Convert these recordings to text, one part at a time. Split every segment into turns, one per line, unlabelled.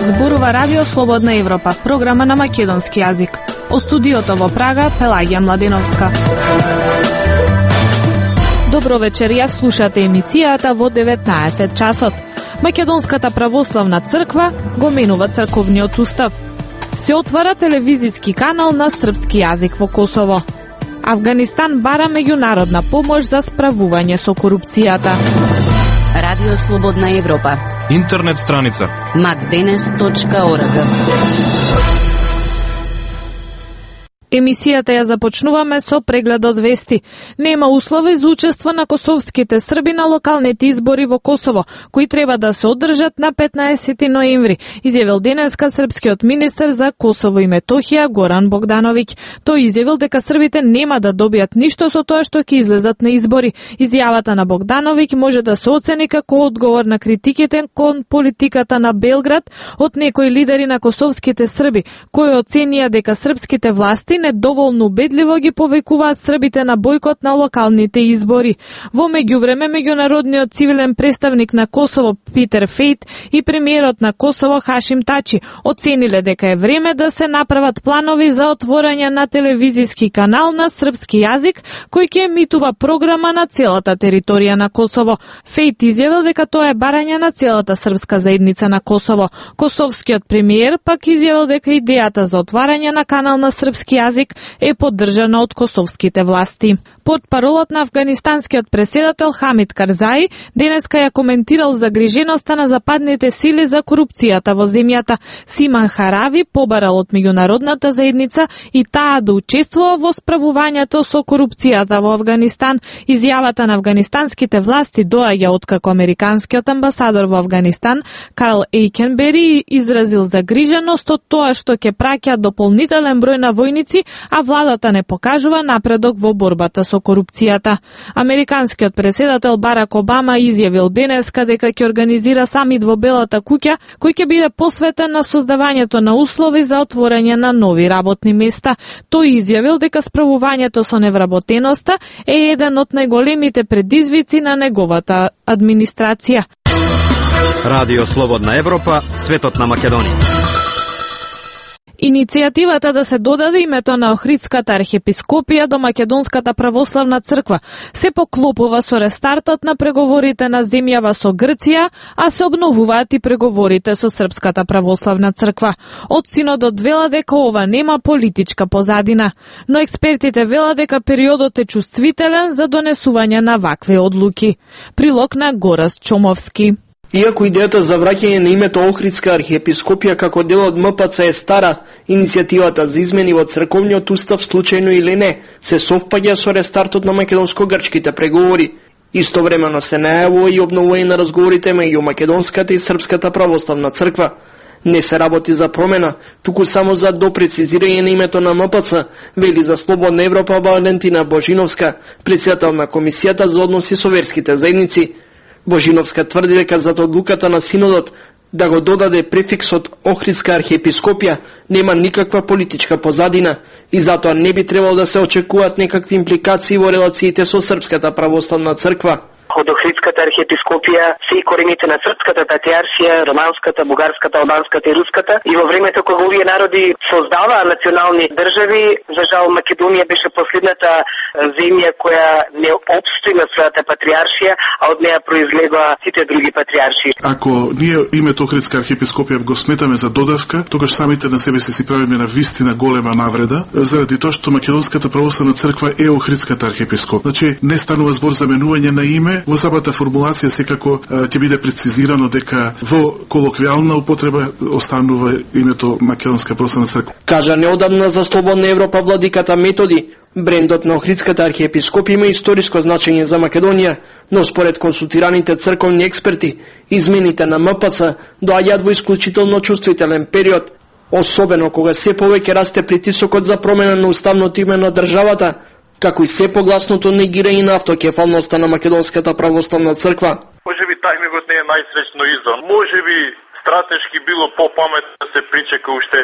Зборува Радио Слободна Европа, програма на македонски јазик. Од студиото во Прага, Пелагија Младеновска. Добро вечер, ја слушате емисијата во 19 часот. Македонската православна црква го менува црковниот устав. Се отвара телевизиски канал на српски јазик во Косово. Авганистан бара меѓународна помош за справување со корупцијата.
Радио Слободна Европа.
Интернет страница
macdenes.org.
Емисијата ја започнуваме со преглед од вести. Нема услови за учество на косовските срби на локалните избори во Косово, кои треба да се одржат на 15 ноември, изјавил денеска српскиот министер за Косово и Метохија Горан Богдановиќ. Тој изјавил дека србите нема да добијат ништо со тоа што ќе излезат на избори. Изјавата на Богдановиќ може да се оцени како одговор на критиките кон политиката на Белград од некои лидери на косовските срби, кои оценија дека српските власти недоволно убедливо ги повикуваат србите на бојкот на локалните избори. Во меѓувреме, меѓународниот цивилен представник на Косово Питер Фейт и премиерот на Косово Хашим Тачи оцениле дека е време да се направат планови за отворање на телевизиски канал на српски јазик кој ќе емитува програма на целата територија на Косово. Фейт изјавил дека тоа е барање на целата српска заедница на Косово. Косовскиот премиер пак изјавил дека идејата за отварање на канал на српски јазик е поддржана од косовските власти. Под паролот на афганистанскиот преседател Хамид Карзаи денеска ја коментирал загриженоста на западните сили за корупцијата во земјата. Симан Харави побарал од меѓународната заедница и таа да учествува во справувањето со корупцијата во Авганистан. Изјавата на афганистанските власти доаѓа откако американскиот амбасадор во Авганистан Карл Ейкенбери изразил загриженост од тоа што ќе праќа дополнителен број на војници, а владата не покажува напредок во борбата со корупцијата. Американскиот преседател Барак Обама изјавил денеска дека ќе организира самит во Белата куќа, кој ќе биде посветен на создавањето на услови за отворање на нови работни места. Тој изјавил дека справувањето со невработеноста е еден од најголемите предизвици на неговата администрација.
Радио Слободна Европа, светот на Македонија.
Иницијативата да се додаде името на Охридската архиепископија до Македонската православна црква се поклопува со рестартот на преговорите на земјава со Грција, а се обновуваат и преговорите со Српската православна црква. Од синодот вела дека ова нема политичка позадина, но експертите вела дека периодот е чувствителен за донесување на вакви одлуки. Прилог на Горас Чомовски.
Иако идејата за враќање на името Охридска архиепископија како дел од МПЦ е стара, иницијативата за измени во црковниот устав, случајно или не, се совпаѓа со рестартот на македонско-грчките преговори. Истовремено се најавува и обновување на разговорите меѓу македонската и српската православна црква. Не се работи за промена, туку само за допрецизирање на името на МПЦ, вели за Слободна Европа Валентина Божиновска, председател на Комисијата за односи со верските заедници. Божиновска тврди дека зад одлуката на синодот да го додаде префиксот Охридска архиепископија нема никаква политичка позадина и затоа не би требало да се очекуваат некакви импликации во релациите со Српската православна црква.
Од Охридската архиепископија се и корените на Српската патриаршија, романската, бугарската, албанската и руската. И во времето кога овие народи создаваа национални држави, за жал Македонија беше последната земја која не опстои на својата патриаршија, а од неја произлегоа сите други патриаршии.
Ако ние името Охридска архиепископија го сметаме за додавка, тогаш самите на себе си правиме на вистина голема навреда, заради тоа што Македонската православна црква е Охридската архиепископија. Значи не станува збор за менување на име. Во самата формулација секако ќе биде прецизирано дека во колоквијална употреба останува името Македонска православна црква.
Кажа неодамна за Слободна Европа владиката Методи, брендот на Охридската архиепископија има историско значење за Македонија, но според консултираните црковни експерти, измените на МПЦ доаѓаат во исклучително чувствителен период, особено кога се повеќе расте притисокот за промена на уставното име на државата, како и се погласното негирање на автокефалноста на Македонската православна црква.
Може би тајмингот не е најсреќно избран. Може би
стратешки било попаметно да се причека уште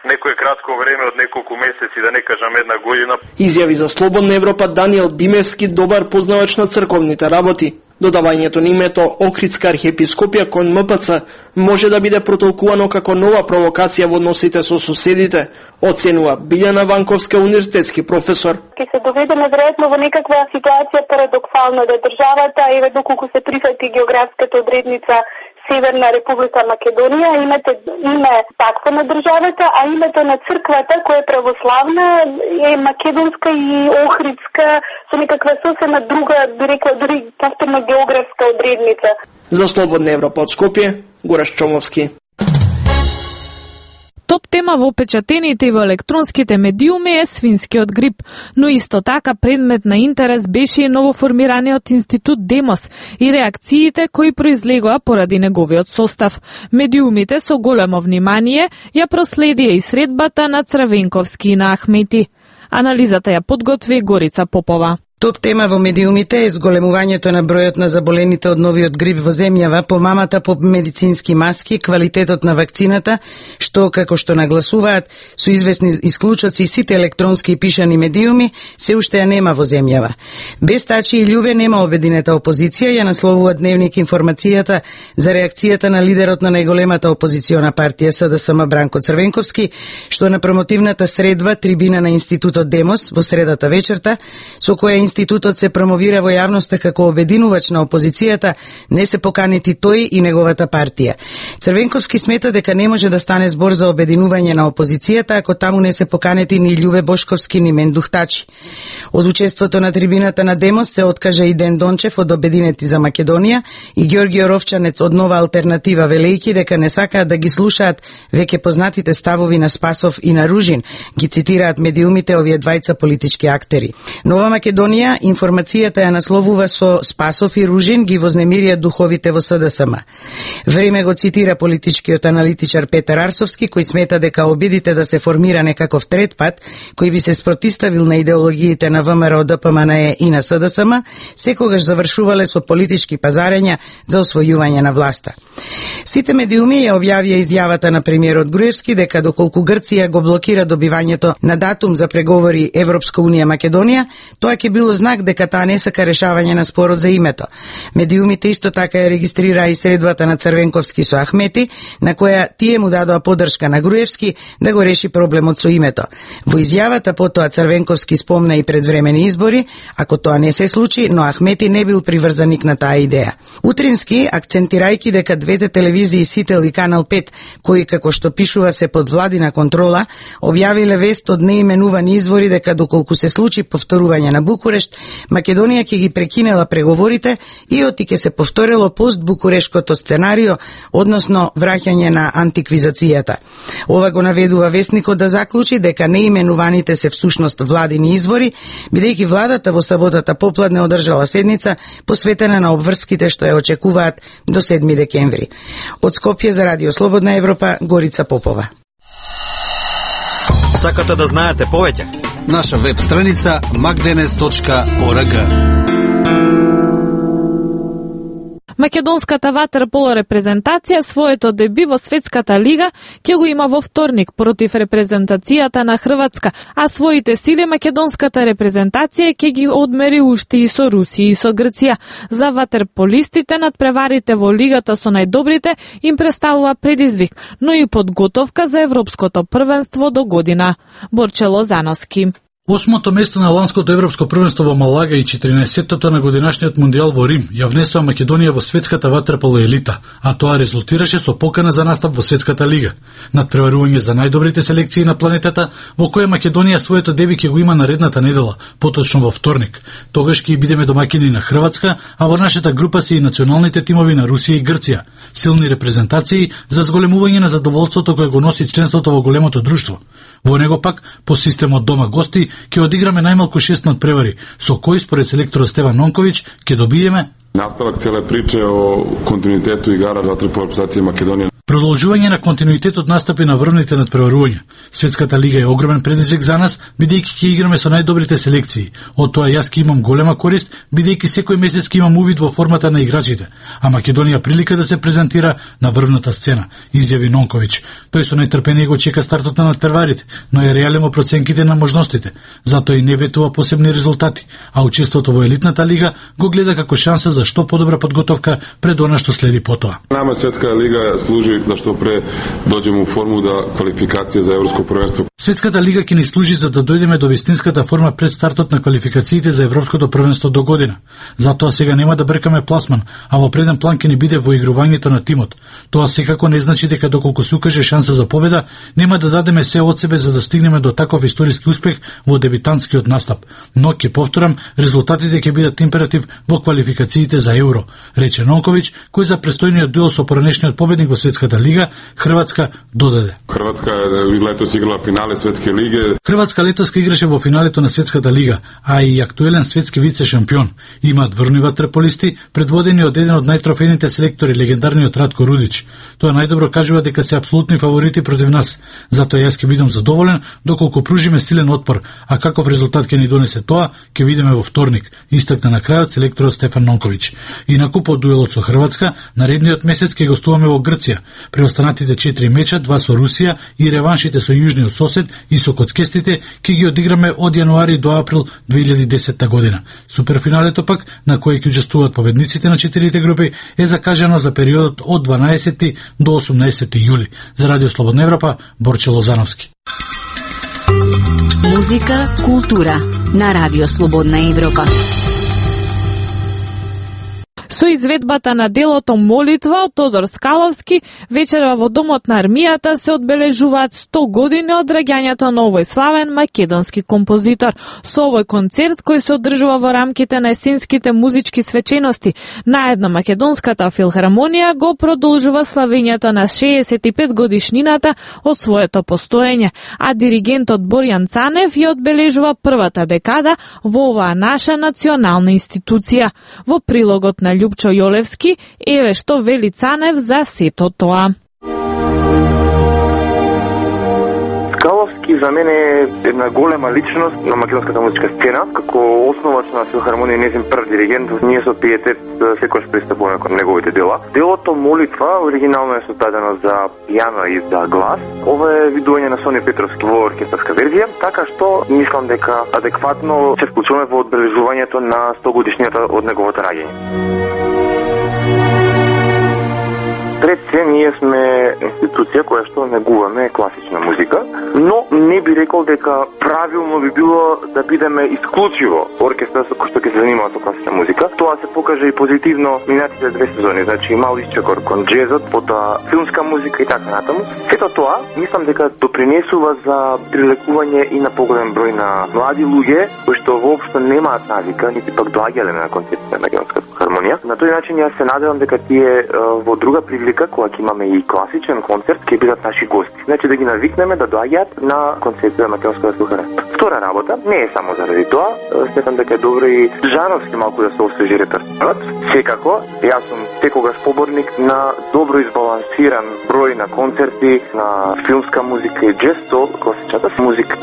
некое кратко време од неколку месеци, да не кажам една година.
Изјави за Слободна Европа Даниел Димевски, добар познавач на црковните работи. Додавањето на името Охридска архиепископија кон МПЦ може да биде протолкувано како нова провокација во односите со соседите, оценува Билјана Ванковска, универзитетски професор.
Ке се доведеме веројатно во некаква ситуација парадоксална да државата, еве доколку се прифати географската одредница Северна Република Македонија, имате име такво на државата, а името на црквата која е православна е македонска и охридска со некаква сосема друга, би рекла дури повторно географска одредница.
За Слободна Европа од Скопје, Гораш Чомовски.
Топ тема во печатените и во електронските медиуми е свинскиот грип, но исто така предмет на интерес беше и новоформираниот институт Демос и реакциите кои произлегоа поради неговиот состав. Медиумите со големо внимание ја проследија и средбата на Црвенковски и на Ахмети. Анализата ја подготви Горица Попова.
Топ тема во медиумите е зголемувањето на бројот на заболените од новиот грип во земјава, помамата по медицински маски, квалитетот на вакцината, што, како што нагласуваат, со известни исклучоци сите електронски и пишани медиуми, се уште ја нема во земјава. Без Тачи и Љубе нема обединета опозиција, ја насловува Дневник информацијата за реакцијата на лидерот на најголемата опозициона партија СДСМ Бранко Црвенковски, што на промотивната средба трибина на институтот Демос во средата вечерта, со која институтот се промовира во јавноста како обединувач на опозицијата, не се поканети тој и неговата партија. Црвенковски смета дека не може да стане збор за обединување на опозицијата ако таму не се поканети ни Љубе Бошковски ни Мендух Тачи. Од учеството на трибината на Демос се откажа и Ден Дончев од Обединети за Македонија и Ѓорги Оровчанец од Нова алтернатива, велејќи дека не сакаат да ги слушаат веќе познатите ставови на Спасов и на Ружин, ги цитираат медиумите овие двајца политички актери. Нова Македонија информацијата ја насловува со Спасов и Ружин ги вознемирија духовите во СДСМ. Време го цитира политичкиот аналитичар Петар Арсовски, кој смета дека обидите да се формира некаков трет пат, кој би се спротиставил на идеологиите на ВМРО, ДПМНЕ и на СДСМ, секогаш завршувале со политички пазарења за освојување на власта. Сите медиуми ја објавија изјавата на премиерот Груевски дека доколку Грција го блокира добивањето на датум за преговори Европска унија Македонија, тоа ќе било знак дека таа не сака решавање на спорот за името. Медиумите исто така ја регистрираа и средбата на Црвенковски со Ахмети, на која тие му дадоа поддршка на Груевски да го реши проблемот со името. Во изјавата потоа Црвенковски спомна и предвремени избори, ако тоа не се случи, но Ахмети не бил приврзаник на таа идеја. Утрински, акцентирајќи дека двете телевизии Сител и Канал 5, кои како што пишува се под владина контрола, објавиле вест од неименувани извори дека доколку се случи повторување на Букурешт, Македонија ќе ги прекинела преговорите и оти ќе се повторило пост-букурешкото сценарио, односно враќање на антиквизацијата. Ова го наведува вестникот да заклучи дека неименуваните се всушност владини извори, бидејќи владата во саботата попладне одржала седница посветена на обврските што ја очекуваат до 7 декември. Од Скопје за Радио Слободна Европа, Горица Попова.
Сакате да знаете повеќе?
Наша веб страница magdenes.org.
Македонската ватерполо репрезентација своето деби во Светската лига ќе го има во вторник против репрезентацијата на Хрватска, а своите сили македонската репрезентација ќе ги одмери уште и со Русија и со Грција. За ватерполистите надпреварите во лигата со најдобрите им представува предизвик, но и подготовка за европското првенство до година. Борче Лозановски.
Осмото место на ланското европско првенство во Малага и 14-тото на годинашниот мондијал во Рим ја внесува Македонија во светската ватерполо елита, а тоа резултираше со покана за настап во светската лига. Надпреварување за најдобрите селекции на планетата, во која Македонија своето деби ќе го има наредната недела, поточно во вторник. Тогаш ќе бидеме домаќини на Хрватска, а во нашата група се и националните тимови на Русија и Грција. Силни репрезентации за зголемување на задоволството кое го носи членството во големото друштво. Во него пак, по системот дома-гости, ќе одиграме најмалку 6 надпревари, со кои според селекторот Стеван Нонковиќ ќе добиеме
наставак целе приче о континуитету игара ватерполо репрезентација Македонија.
Продолжување на континуитетот настапи на врвните надпреварувања. Светската лига е огромен предизвик за нас, бидејќи ќе играме со најдобрите селекции. Од тоа јас ќе имам голема корист, бидејќи секој месец ќе имам увид во формата на играчите, а Македонија прилика да се презентира на врвната сцена, изјави Нонковиќ. Тој со нетрпение го чека стартот на надпреварите, но е реален во проценките на можностите, затоа и не ветува посебни резултати, а учеството во елитната лига го гледа како шанса за што подобра подготовка пред она што следи потоа.
Нама Светска лига служи да што пре доđemo у форму да квалификација за европско првенство.
Светската лига ќе ни служи за да дојдеме до вистинската форма пред стартот на квалификациите за европското првенство до година. Затоа сега нема да бркаме пласман, а во преден план ќе ни биде во игрувањето на тимот. Тоа секако не значи дека доколку се укаже шанса за победа, нема да дадеме се од себе за да стигнеме до таков историски успех во дебитантскиот настап. Но ќе повторам, резултатите ќе бидат императив во квалификациите за Евро, рече Нонковиќ, кој за престојниот дуел со поранешниот победник во Светската лига, Хрватска, додаде.
Хрватска летос играла финале Светски лиги.
Хрватска летоска играше во финалето на Светската лига, а и актуелен светски вице шампион. Имаат врвни ватреполисти, предводени од еден од најтрофејните селектори, легендарниот Ратко Рудич. Тоа најдобро кажува дека се апсолутни фаворити против нас. Затоа јас ќе бидам задоволен доколку пружиме силен отпор, а каков резултат ќе ни донесе тоа, ќе видиме во вторник, истакна на крајот селекторот Стефан Нонковиќ. Инаку по дуелот со Хрватска, наредниот месец ќе гостуваме во Грција. Преостанатите 4 меча, 2 со Русија и реваншите со јужниот сосед и со коцкестите ќе ги одиграме од јануари до април 2010 година. Суперфиналето пак, на кој ќе учествуваат победниците на 4 групи, е закажано за периодот од 12 до 18 јули. За Радио Слободна Европа, Борче Лозановски.
Музика, култура на Радио Слободна Европа.
Со изведбата на делото Молитва од Тодор Скаловски, вечера во Домот на армијата се одбележуваат 100 години од раѓањето на овој славен македонски композитор. Со овој концерт, кој се одржува во рамките на есенските музички свечености, наедно Македонската филхармонија го продолжува славењето на 65 годишнината од своето постоење, а диригентот Борјан Цанев ја одбележува првата декада во оваа наша национална институција. Во прилогот на Љупчо Јолевски, еве што вели Цанев за сето тоа.
Скаловски за мене е една голема личност на македонската музичка сцена, како основач на филхармонија и нејзин прв диригент. Ние со пиетет секогаш пристапуваме кон неговите дела. Делото Молитва оригинално е создадено за пијано и за глас. Ова е видување на Сони Петровски во оркестарска верзија, така што мислам дека адекватно се вклучуваме во одбележувањето на 100 годишнината од неговото раѓање. Пред се, ние сме институција која што негуваме класична музика, но не би рекол дека правилно би било да бидеме исклучиво оркестар кој што ќе се занимава со класична музика. Тоа се покажа и позитивно минатите 2 сезони, значи мал исчекор кон джезот, потоа филмска музика и така натаму. Сето тоа, мислам дека допринесува за прилекување и на поголем број на млади луѓе кои што воопшто немаат навика, нити пак доаѓале на концертите на Македонската филхармонија. На тој начин јас се надевам дека тие во друга прилика, кога ќе имаме и класичен концерт, ќе бидат наши гости. Значи да ги навикнеме да доаѓаат на концертите на Македонската филхармонија. Втора работа, не е само заради тоа, сметам дека е добро и жанровски малку да се освежи репертуарот. Секако, јас сум секогаш поборник на добро избалансиран број на концерти на филмска музика и джез со класичната музика.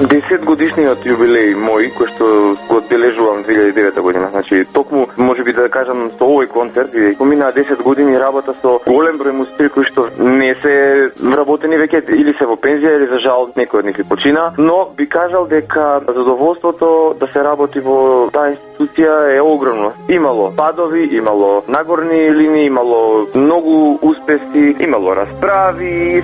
10 годишниот јубилеј мој, кој што го одбележувам 2009 година. Значи, токму, можеби да кажам, со овој концерт, поминаа 10 години работа со голем број музичари кои што не се вработени веќе, или се во пензија, или за жал некој од нив и почина, но би кажал дека задоволството да се работи во таа институција е огромно. Имало падови, имало нагорни линии, имало многу успеси, имало расправи,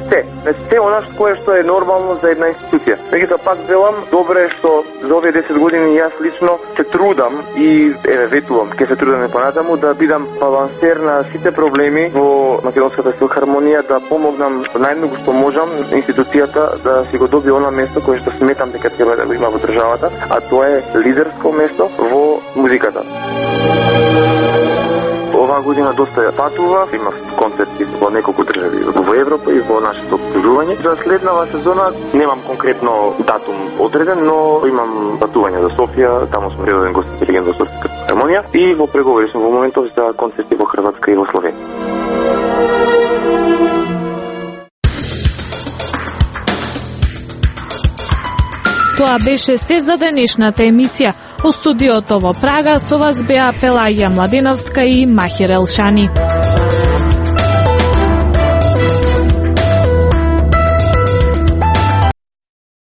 се она кое што е нормално за една институција. Меѓутоа пак велам, добре што за овие 10 години јас лично се трудам и ветувам, ќе се трудам и понатаму да бидам балансер на сите проблеми во Македонската филхармонија, да помогнам најмногу што можам институцијата да си го добие она место кое што сметам дека треба да го има во државата, а тоа е лидерско место во музиката. Ова Оваа година доста патува, имав концерти во неколку држави во Европа и во нашето окружување. За следнава сезона немам конкретно датум одреден, но имам патување за Софија, таму сум редовен гост на Легенда Софијска филхармонија и во преговори сум во моментов за концерти во Хрватска и во Словенија.
Тоа беше се за денешната емисија. Во студиото во Прага со вас беа Пелаја Младеновска и Махир Елшани.